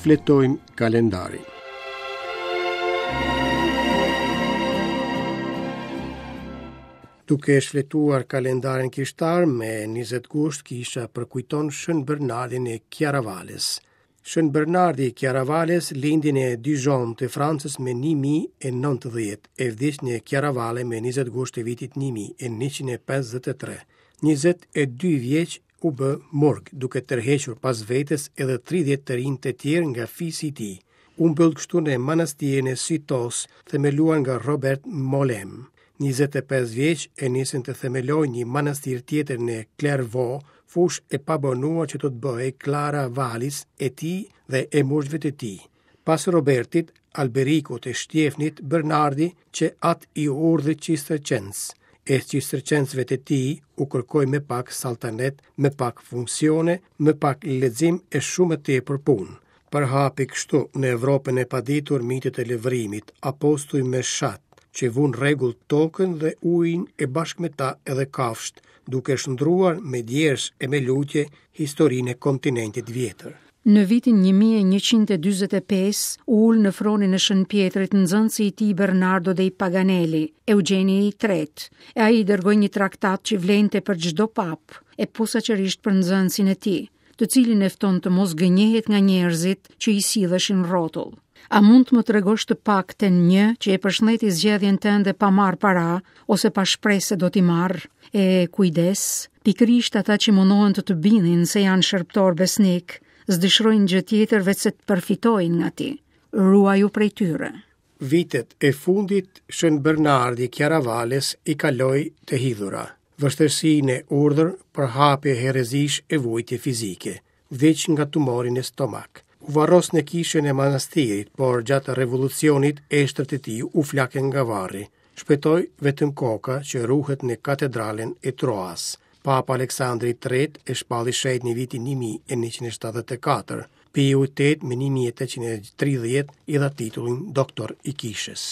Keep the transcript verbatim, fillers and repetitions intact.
Shfletojmë kalendarin. Duke shfletuar kalendarin kishtar me njëzet gusht, kisha përkujton Shën Bernardin e Chiaravales. Shën Bernardi i Chiaravales lindi në Dijon të Francës me një mijë e nëntëdhjetë e vdiq në Chiaravale me njëzet gusht të vitit një mijë e njëqind e pesëdhjetë e tre. Njëzet e dy vjeç u bë murg, duke tërhequr pas vetes edhe tridhjetë të rinj të tjerë nga fisi i tij. U mbyll kështu në manastirin e Sitos, themeluar nga Robert Molem. Njëzet e pesë vjeç e nisën të themelojë një manastir tjetër në Clairvaux, fushë e pabanuar që do të bëhej Clara Vallis e tij dhe e murgjve të tij. Pas Robertit, Alberikut e Shtjefnit, Bernardi, që atë i urdhrit Cistercens, e Cistercensëve të tij u kërkoi me pak saltanet, me pak funksione, me pak lexim e shumë më tepër punë. Përhapi kështu në Evropën e paditur mitet e lëvrimit, apostuj me shat, që vunë rregull tokën dhe ujin e bashkë me ta edhe kafshët, duke shndruar me djersë e me lutje historinë e kontinentit vjetër. Në vitin një mijë e njëqind e dyzet e pesë u ul në fronin e Shën Pjetrit nxënësi i tij Bernardo dei Paganelli, Eugjeni i tretë, e ai i dërgoi një traktat që vlente për çdo papë, e posaçërisht për nxënësin e tij, të cilin e fton të mos gënjehet nga njerëzit që i silleshin rrotull. A mund të më tregosh të paktën një që e përshëndeti zgjedhjen tënde pa marr para ose pa shpresë se do t'i marr? E kujdes, pikërisht ata që mundohen të të bindin se janë shërbëtor besnik, s'dëshirojnë gjë tjetër veç se të përfitojnë nga ti. Ruaju prej tyre. Vitet e fundit Shën Bernardi Chiaravales i kaloi të hidhura, vështirësi në urdhër, përhapje herezish e vujtje fizike. Vdiq nga tumori në stomak. U varros në kishën e manastirit, por gjatë revolucionit eshtrat e tij u flakën nga varri. Shpëtoi vetëm koka që ruhet në katedralen e Troas. Papa Aleksandri i tretë e shpalli shenjt në vitin një mijë e njëqind e shtatëdhjetë e katër. Piu i tetë me një mijë e tetëqind e tridhjetë i dha titullin doktor i kishës.